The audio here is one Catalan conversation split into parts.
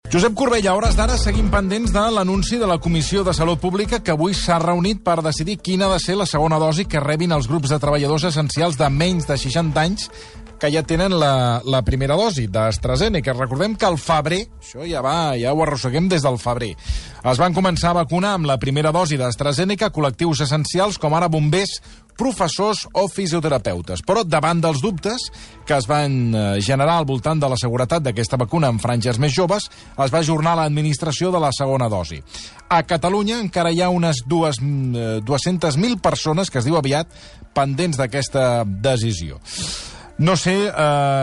Josep Corbella, a hores d'ara seguim pendents de l'anunci de la Comissió de Salut Pública que avui s'ha reunit per decidir quina ha de ser la segona dosi que rebin els grups de treballadors essencials de menys de 60 anys que ja tenen la primera dosi d'AstraZeneca. Recordem que al febrer, això ja ho arrosseguem des del febrer, es van començar a vacunar amb la primera dosi d'AstraZeneca col·lectius essencials com ara bombers, professors o fisioterapeutes. Però davant dels dubtes que es van generar al voltant de la seguretat d'aquesta vacuna en franges més joves, es va ajornar l'administració de la segona dosi. A Catalunya encara hi ha unes 200.000 persones, que es diu aviat, pendents d'aquesta decisió. No sé,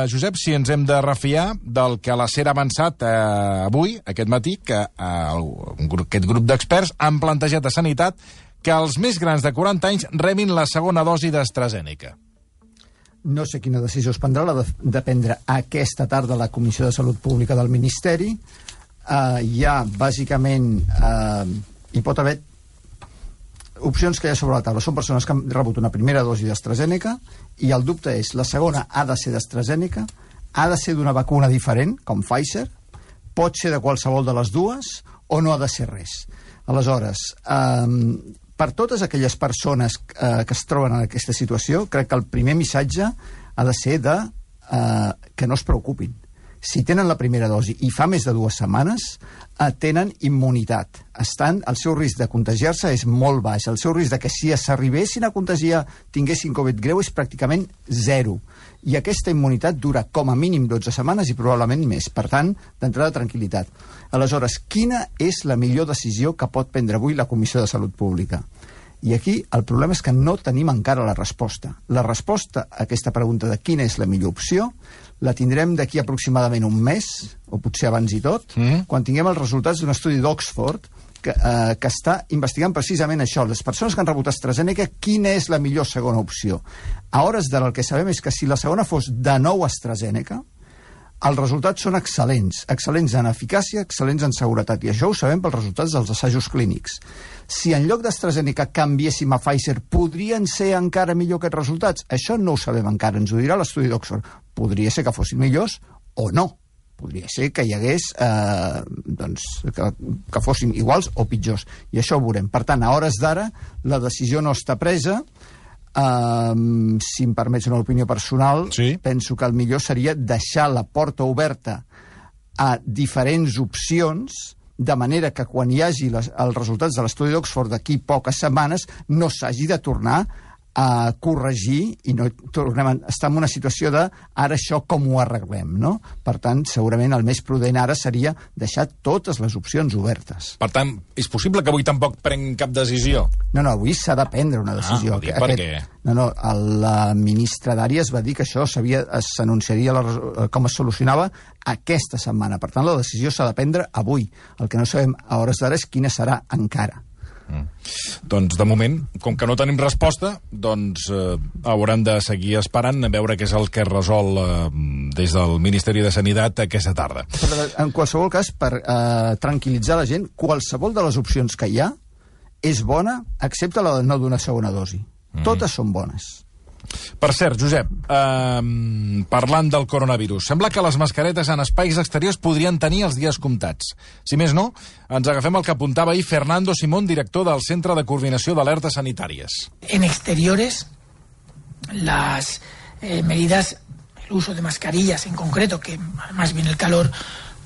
Josep, si ens hem de refiar del que a la SER ha avançat avui, aquest matí, que aquest grup d'experts han plantejat a Sanitat que els més grans de 40 anys rebin la segona dosi d'AstraZeneca. No sé quina decisió es prendrà, l'ha de prendre aquesta tarda la Comissió de Salut Pública del Ministeri. Hi ha, bàsicament, hi pot haver opcions que hi ha sobre la taula. Són persones que han rebut una primera dosi d'AstraZeneca i el dubte és, la segona ha de ser d'AstraZeneca, ha de ser d'una vacuna diferent, com Pfizer, pot ser de qualsevol de les dues o no ha de ser res. Aleshores, per totes aquelles persones que es troben en aquesta situació, crec que el primer missatge ha de ser que no es preocupin. Si tenen la primera dosi i fa més de 2 setmanes, tenen immunitat. El seu risc de contagiar-se és molt baix. El seu risc de que si s'arribessin a contagiar, tinguessin Covid greu, és pràcticament 0. I aquesta immunitat dura com a mínim 12 setmanes i probablement més. Per tant, d'entrada, tranquil·litat. Aleshores, quina és la millor decisió que pot prendre avui la Comissió de Salut Pública? I aquí el problema és que no tenim encara la resposta. La resposta a aquesta pregunta de quina és la millor opció la tindrem d'aquí aproximadament un mes, o potser abans i tot, quan tinguem els resultats d'un estudi d'Oxford que està investigant precisament això, les persones que han rebut AstraZeneca, quina és la millor segona opció. A hores d'ara el que sabem és que si la segona fos de nou AstraZeneca, els resultats són excel·lents en eficàcia, excel·lents en seguretat, i això ho sabem pels resultats dels assajos clínics. Si en lloc d'AstraZeneca canviéssim a Pfizer, podrien ser encara millor aquests resultats? Això no ho sabem encara, ens ho dirà l'estudi d'Oxford. Podria ser que fossin millors o no. Podria ser que hi hagués que fossin iguals o pitjors, i això ho veurem. Per tant, a hores d'ara, la decisió no està presa. Si em permets una opinió personal, sí, penso que el millor seria deixar la porta oberta a diferents opcions, de manera que quan hi hagi els resultats de l'estudi d'Oxford d'aquí poques setmanes no s'hagi de tornar a corregir i no tornem a estar en una situació de ara això com ho arreglem, no? Per tant, segurament el més prudent ara seria deixar totes les opcions obertes. Per tant, és possible que avui tampoc prenguin cap decisió? No, avui s'ha de prendre una decisió. Per què? La ministra d'Àries va dir que això s'anunciaria com es solucionava aquesta setmana. Per tant, la decisió s'ha de prendre avui. El que no sabem a hores d'ara és quina serà encara. Doncs de moment, com que no tenim resposta, doncs haurem de seguir esperant a veure què és el que es resol des del Ministeri de Sanitat aquesta tarda. Però en qualsevol cas, per tranquil·litzar la gent, qualsevol de les opcions que hi ha és bona, excepte la de no d'una segona dosi. Totes són bones. Per cert, Josep, parlant del coronavirus, sembla que les mascaretes en espais exteriors podrien tenir els dies comptats. Si més no, ens agafem el que apuntava ahir Fernando Simón, director del Centre de Coordinació d'Alertes Sanitàries. En exteriores, las medidas, el uso de mascarillas en concreto, que más bien el calor,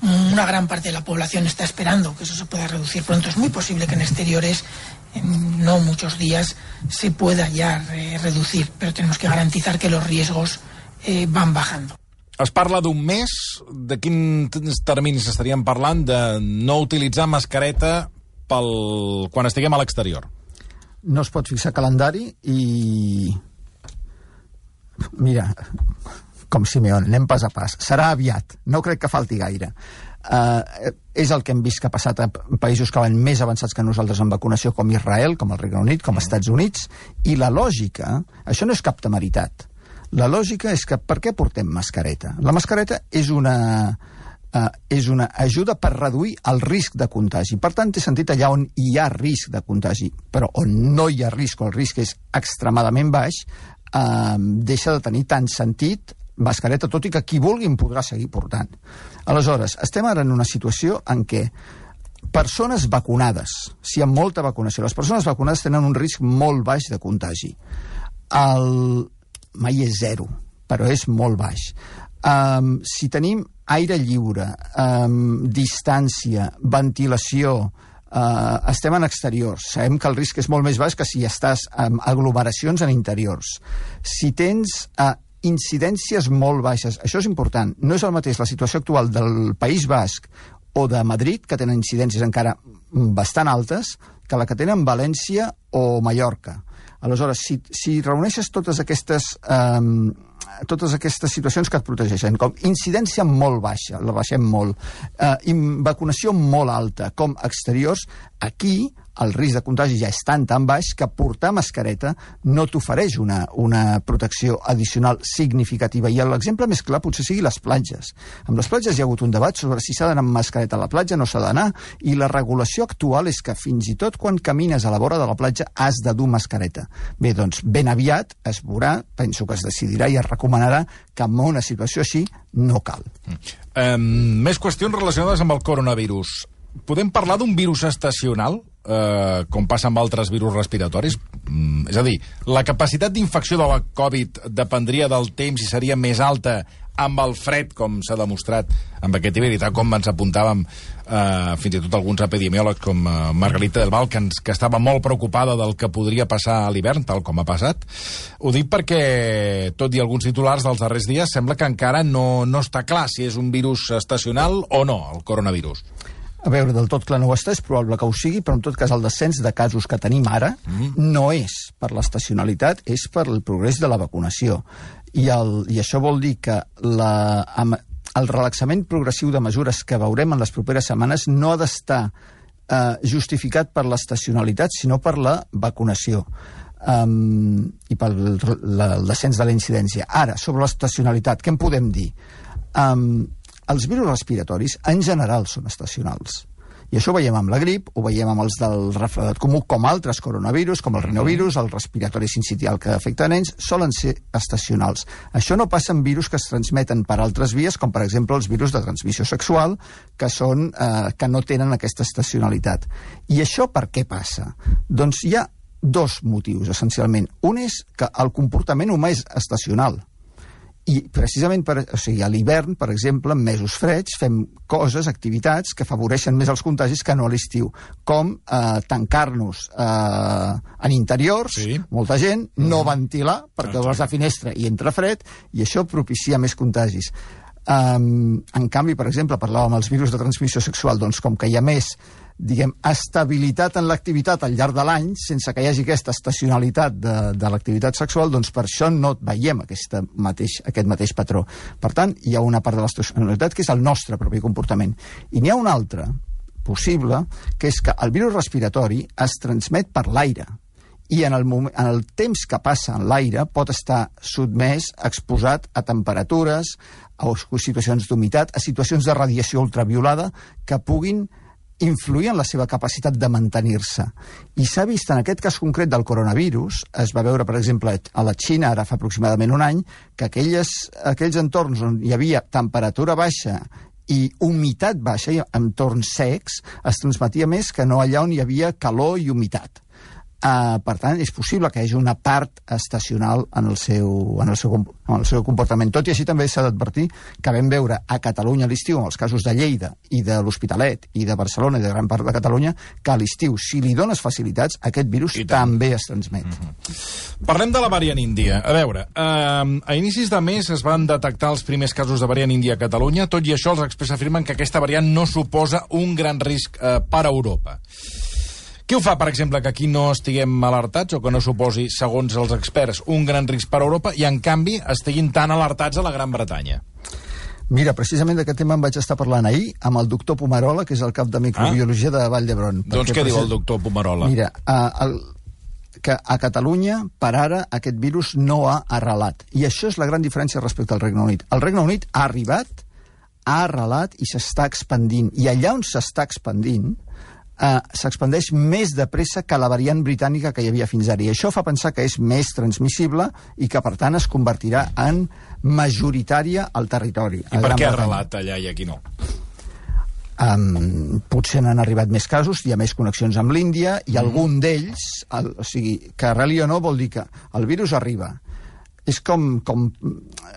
una gran parte de la población está esperando que eso se pueda reducir pronto. Es muy posible que en exteriores, en no muchos días, se pueda ya reducir, pero tenemos que garantizar que los riesgos van bajando. Es parla d'un mes. De quins terminis estaríem parlant de no utilitzar mascareta quan estiguem a l'exterior? No es pot fixar calendari i... Mira, com Simeone, anem pas a pas. Serà aviat, no crec que falti gaire. És el que hem vist que ha passat a països que van més avançats que nosaltres en vacunació, com Israel, com el Regne Unit, com els Estats Units, i la lògica, això no és cap temeritat, la lògica és que per què portem mascareta? La mascareta és una ajuda per reduir el risc de contagi. Per tant, té sentit allà on hi ha risc de contagi, però on no hi ha risc, o el risc és extremadament baix, deixa de tenir tant sentit mascareta, tot i que qui vulgui en podrà seguir portant. Aleshores, estem ara en una situació en què persones vacunades, si hi ha molta vacunació, les persones vacunades tenen un risc molt baix de contagi. Mai és zero, però és molt baix. Si tenim aire lliure, distància, ventilació, estem en exteriors, sabem que el risc és molt més baix que si estàs en aglomeracions en interiors. Si tens incidències molt baixes, això és important, no és el mateix la situació actual del País Basc o de Madrid, que tenen incidències encara bastant altes, que la que tenen València o Mallorca. Aleshores, si reuneixes totes aquestes situacions que et protegeixen, com incidència molt baixa, la baixem molt, vacunació molt alta, com exteriors, aquí el risc de contagi ja és tan baix que portar mascareta no t'ofereix una protecció addicional significativa. I l'exemple més clar potser sigui les platges. Amb les platges hi ha hagut un debat sobre si s'ha d'anar amb mascareta a la platja, no s'ha d'anar, i la regulació actual és que fins i tot quan camines a la vora de la platja has de dur mascareta. Bé, doncs ben aviat es veurà, penso que es decidirà i es recomanarà que en una situació així no cal. Més qüestions relacionades amb el coronavirus. Podem parlar d'un virus estacional, com passa amb altres virus respiratoris? És a dir, la capacitat d'infecció de la Covid dependria del temps i seria més alta amb el fred, com s'ha demostrat amb aquest hivern, i tal com ens apuntàvem fins i tot alguns epidemiòlegs com Margarita del Val, que estava molt preocupada del que podria passar a l'hivern, tal com ha passat. Ho dic perquè, tot i alguns titulars dels darrers dies, sembla que encara no està clar si és un virus estacional o no, el coronavirus. A veure, del tot clar no ho està, és probable que ho sigui, però en tot cas el descens de casos que tenim ara no és per l'estacionalitat, és per el progrés de la vacunació. I això vol dir que el relaxament progressiu de mesures que veurem en les properes setmanes no ha d'estar justificat per l'estacionalitat, sinó per la vacunació i pel descens de la incidència. Ara, sobre l'estacionalitat, què en podem dir? Els virus respiratoris, en general, són estacionals. I això ho veiem amb la grip, ho veiem amb els del refredat comú, com altres coronavirus, com el rinovirus, el respiratori sincitial que afecta nens, solen ser estacionals. Això no passa en virus que es transmeten per altres vies, com per exemple els virus de transmissió sexual, que no tenen aquesta estacionalitat. I això per què passa? Doncs hi ha dos motius, essencialment. Un és que el comportament humà és estacional. I precisament a l'hivern, per exemple, en mesos freds, fem coses, activitats que afavoreixen més els contagis que no a l'estiu, com tancar-nos en interiors, molta gent, no ventilar, perquè vas a la finestra i entra fred, i això propicia més contagis. En canvi, per exemple, parlàvem dels virus de transmissió sexual, doncs com que hi ha més estabilitat en l'activitat al llarg de l'any, sense que hi hagi aquesta estacionalitat de l'activitat sexual, doncs per això no veiem aquest mateix patró. Per tant, hi ha una part de l'estacionalitat que és el nostre propi comportament. I n'hi ha una altra, possible, que és que el virus respiratori es transmet per l'aire. I en el temps que passa en l'aire pot estar sotmès, exposat a temperatures, a situacions d'humitat, a situacions de radiació ultraviolada que puguin influir en la seva capacitat de mantenir-se. I s'ha vist en aquest cas concret del coronavirus, es va veure, per exemple, a la Xina, ara fa aproximadament un any, que aquells entorns on hi havia temperatura baixa i humitat baixa, i entorns secs, es transmetia més que no allà on hi havia calor i humitat. Per tant, és possible que hi hagi una part estacional en el seu comportament. Tot i així també s'ha d'advertir que vam veure a Catalunya a l'estiu, en els casos de Lleida i de l'Hospitalet i de Barcelona i de gran part de Catalunya, que a l'estiu, si li dones facilitats, aquest virus també es transmet. Parlem de la variant índia. A veure, a inicis de mes es van detectar els primers casos de variant índia a Catalunya. Tot i això, els experts afirmen que aquesta variant no suposa un gran risc per a Europa. Què ho fa, per exemple, que aquí no estiguem alertats o que no suposi, segons els experts, un gran risc per a Europa i, en canvi, estiguin tan alertats a la Gran Bretanya? Mira, precisament d'aquest tema em vaig estar parlant ahir amb el doctor Pomarola, que és el cap de microbiologia de Vall d'Hebron. Doncs què diu el doctor Pomarola? Mira, que a Catalunya, per ara, aquest virus no ha arrelat. I això és la gran diferència respecte al Regne Unit. El Regne Unit ha arribat, ha arrelat i s'està expandint. I allà on s'està expandint, s'expandeix més de pressa que la variant britànica que hi havia fins ara. I això fa pensar que és més transmissible i que, per tant, es convertirà en majoritària al territori. I per què ha arrelat allà i aquí no? Potser n'han arribat més casos, hi ha més connexions amb l'Índia, i algun d'ells, o sigui, que arreli o no vol dir que el virus arriba. És com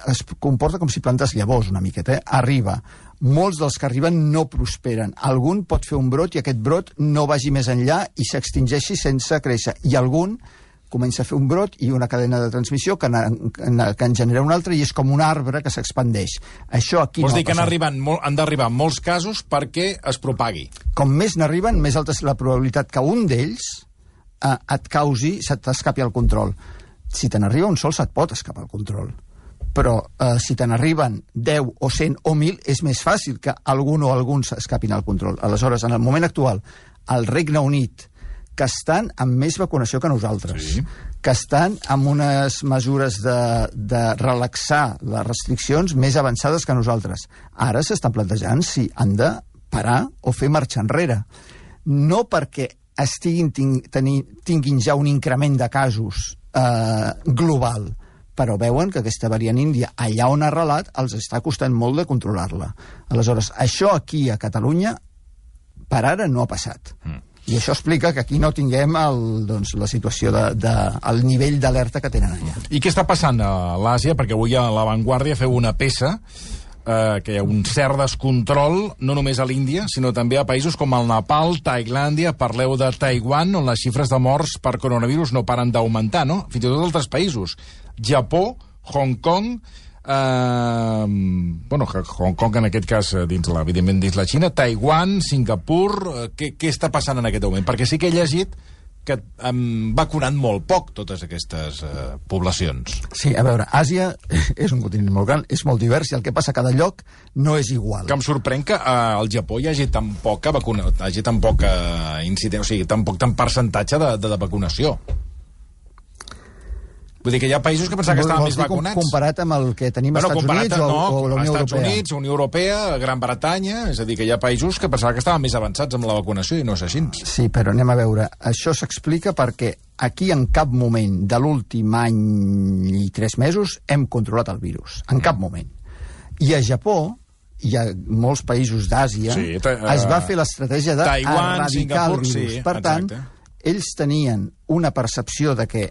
es comporta com si plantes llavors una miqueta, arriba. Molts dels que arriben no prosperen. Algun pot fer un brot i aquest brot no vagi més enllà i s'extingeixi sense créixer. I algun comença a fer un brot i una cadena de transmissió que en genera un altre i és com un arbre que s'expandeix. Això aquí Vols dir que han d'arribar molts casos perquè es propagui? Com més n'arriben, més alta és la probabilitat que un d'ells et causi, se t'escapi al control. Si te n'arriba un sol, se't pot escapar al control. Però si te n'arriben 10 o 100 o 1.000, és més fàcil que algun o alguns s'escapin al control. Aleshores, en el moment actual, al Regne Unit, que estan amb més vacunació que nosaltres, que estan amb unes mesures de relaxar les restriccions més avançades que nosaltres, ara s'estan plantejant si han de parar o fer marxa enrere. No perquè tinguin ja un increment de casos global, però veuen que aquesta variant índia, allà on ha arrelat, els està costant molt de controlar-la. Aleshores, això aquí a Catalunya, per ara no ha passat. I això explica que aquí no tinguem la situació el nivell d'alerta que tenen allà. I què està passant a l'Àsia? Perquè avui a La Vanguardia feu una peça que hi ha un cert descontrol, no només a l'Índia, sinó també a països com el Nepal, Tailàndia, parleu de Taiwan, on les xifres de morts per coronavirus no paren d'augmentar, no? Fins i tot altres països. Japó, Hong Kong, Hong Kong en aquest cas, evidentment dins la Xina, Taiwan, Singapur, què està passant en aquest moment? Perquè sí que he llegit que han vacunat molt poc totes aquestes poblacions. Sí, a veure, Àsia és un continent molt gran, és molt divers, i el que passa a cada lloc no és igual. Que em sorprèn que al Japó hi hagi tan poca incidència, o sigui, tan percentatge de vacunació. Vull dir que hi ha països que pensaven que estaven més vacunats. Comparat amb el que tenim als Estats Units o la Unió Europea? Estats Units, Unió Europea, Gran Bretanya, és a dir, que hi ha països que pensaven que estaven més avançats amb la vacunació i no és així. Sí, però anem a veure. Això s'explica perquè aquí en cap moment de l'últim any i 3 mesos hem controlat el virus. En cap moment. I a Japó, i a molts països d'Àsia, es va fer l'estratègia d'erradicar el virus. Per tant, ells tenien una percepció de que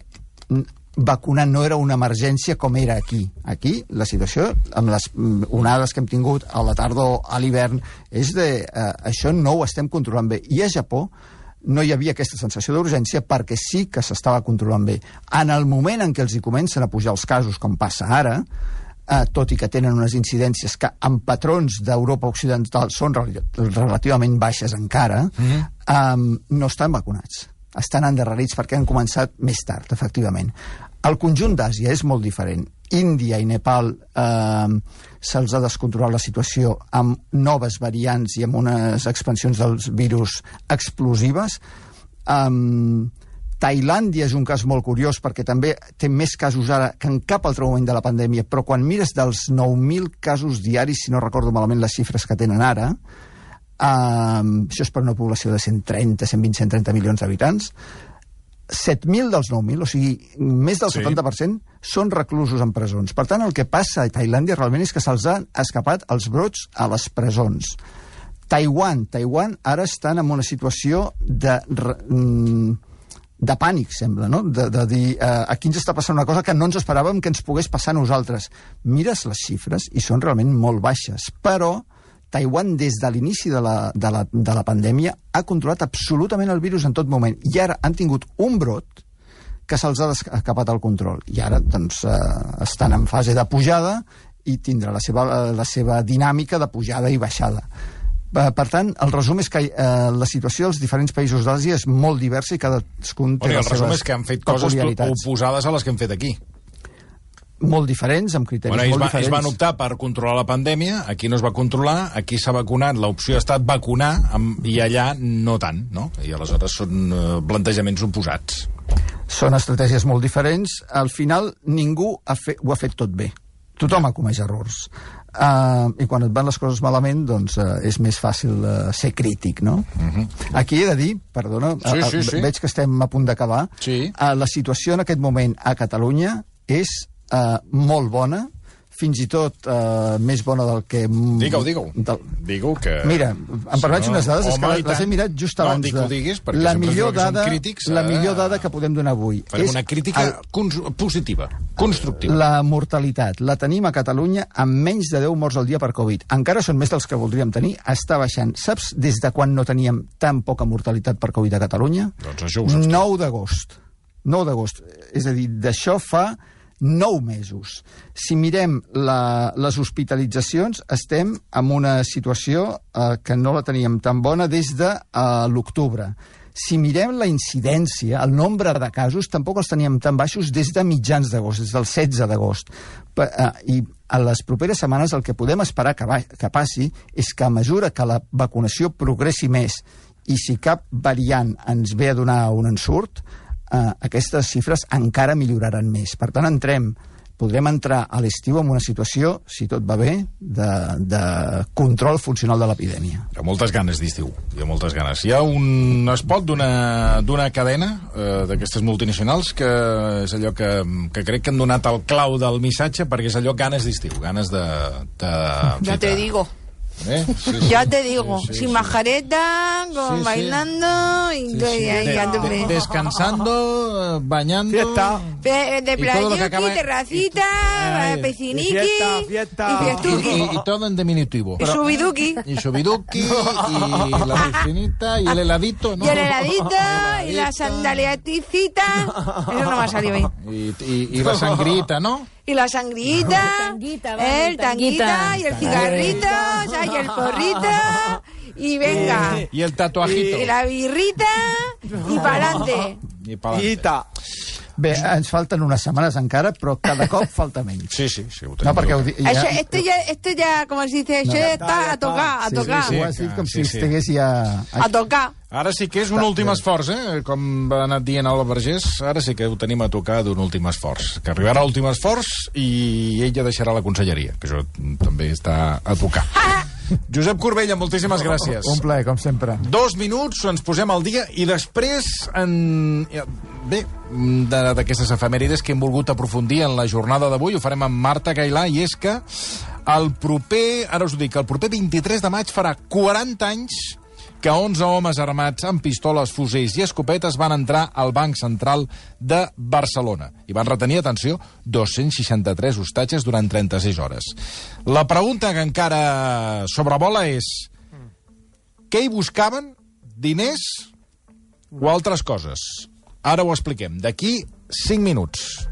vacunar no era una emergència com era aquí. Aquí, la situació, amb les onades que hem tingut a la tardor, a l'hivern, és això no ho estem controlant bé. I a Japó no hi havia aquesta sensació d'urgència perquè sí que s'estava controlant bé. En el moment en què els hi comencen a pujar els casos, com passa ara, tot i que tenen unes incidències que en patrons d'Europa Occidental són relativament baixes encara, no estan vacunats. Estan endarrerits perquè han començat més tard, efectivament. El conjunt d'Àsia és molt diferent. Índia i Nepal se'ls ha descontrolat la situació amb noves variants i amb unes expansions dels virus explosives. Tailàndia és un cas molt curiós perquè també té més casos ara que en cap altre moment de la pandèmia, però quan mires dels 9.000 casos diaris, si no recordo malament les xifres que tenen ara, això és per una població de 130, 120, 130 milions d'habitants, 7.000 dels 9.000, o sigui, més del 70%, són reclusos en presons. Per tant, el que passa a Tailàndia realment és que se'ls han escapat els brots a les presons. Taiwan ara estan en una situació de pànic, sembla, no? De dir, aquí ens està passant una cosa que no ens esperàvem que ens pogués passar a nosaltres. Mires les xifres i són realment molt baixes, però Taiwan, des de l'inici de la pandèmia, ha controlat absolutament el virus en tot moment. I ara han tingut un brot que se'ls ha escapat al control. I ara, doncs, estan en fase de pujada i tindrà la seva dinàmica de pujada i baixada. Per tant, el resum és que la situació dels diferents països d'Àsia és molt diversa i cadascun té les seves peculiaritats. El resum és que han fet coses oposades a les que hem fet aquí. Molt diferents, amb criteris molt diferents. Ells van optar per controlar la pandèmia, aquí no es va controlar, aquí s'ha vacunat, l'opció ha estat vacunar, i allà no tant, no? I aleshores són plantejaments oposats. Són estratègies molt diferents. Al final, ningú ho ha fet tot bé. Tothom ha comès errors. I quan et van les coses malament, doncs és més fàcil ser crític, no? Aquí he de dir, perdona, Sí. veig que estem a punt d'acabar, la situació en aquest moment a Catalunya és molt bona, fins i tot més bona del que... Digue-ho, que... Mira, em permets unes dades, és que les he mirat just abans de... No, diguis, perquè la millor dada que podem donar avui. És una crítica positiva, constructiva. La mortalitat la tenim a Catalunya amb menys de 10 morts al dia per Covid. Encara són més dels que voldríem tenir, està baixant. Saps des de quan no teníem tan poca mortalitat per Covid a Catalunya? Doncs això ho saps. 9 d'agost. 9 d'agost. És a dir, d'això fa 9 mesos. Si mirem les hospitalitzacions, estem en una situació que no la teníem tan bona des de l'octubre. Si mirem la incidència, el nombre de casos, tampoc els teníem tan baixos des de mitjans d'agost, des del 16 d'agost. I a les properes setmanes el que podem esperar que passi és que a mesura que la vacunació progressi més i si cap variant ens ve a donar un ensurt, aquestes xifres encara milloraran més. Per tant, podrem entrar a l'estiu en una situació, si tot va bé, de control funcional de l'epidèmia. Hi ha moltes ganes d'estiu, hi ha moltes ganes. Hi ha un spot d'una cadena d'aquestes multinacionals que és allò que crec que han donat el clau del missatge, perquè és allò ganes d'estiu, ganes de ja te digo. Ya te digo, sin majareta, bailando y descansando, bañando, de playuki, terracita, pisciniqui y fiestuki. Y todo en diminutivo. Y subiduki. Y la piscinita y el heladito, ¿no? Y el heladito y la sandaliaticita. Eso no me ha salido bien. Y la sangrita, ¿no? Y la sangrita, el tanguita y el cigarrito, y el porrito, y venga. Y el tatuajito. Y la birrita, y pa'lante. I pa'lante. Bé, ens falten unes setmanes encara, però cada cop falta menys. Sí, ho tenim. No, perquè Esto ya, como se dice, això està a tocar, a tocar. Sí, ho has dit com si estigués ja... A tocar. Ara sí que és un últim esforç, com va anar dient Alba Vergés, ara sí que ho tenim a tocar d'un últim esforç. Que arribarà l'últim esforç i ella deixarà la conselleria, que això també està a tocar. Josep Corbella, moltíssimes gràcies. Un plaer, com sempre. 2 minuts, ens posem al dia i després, bé, d'aquestes efemèrides que hem volgut aprofundir en la jornada d'avui, ho farem amb Marta Gailà, i és que el proper 23 de maig farà 40 anys que 11 homes armats amb pistoles, fusells i escopetes van entrar al Banc Central de Barcelona i van retenir, atenció, 263 hostatges durant 36 hores. La pregunta que encara sobrevola és: què hi buscaven? Diners o altres coses? Ara ho expliquem. D'aquí 5 minuts.